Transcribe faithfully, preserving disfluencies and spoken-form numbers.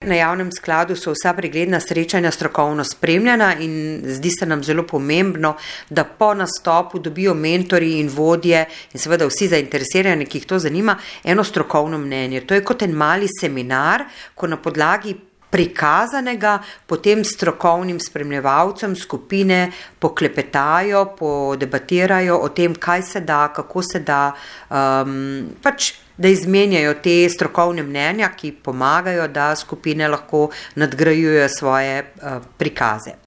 Na javnem skladu so vsa pregledna srečanja strokovno spremljena in zdi se nam zelo pomembno, da po nastopu dobijo mentorji in vodje in seveda vsi zainteresirani, ki jih to zanima, eno strokovno mnenje. To je kot en mali seminar, ko na podlagi prikazanega potem strokovnim spremljevalcem skupine poklepetajo, podebatirajo o tem, kaj se da, kako se da, um, pač da izmenjajo te strokovne mnenja, ki pomagajo, da skupine lahko nadgrajujejo svoje uh, prikaze.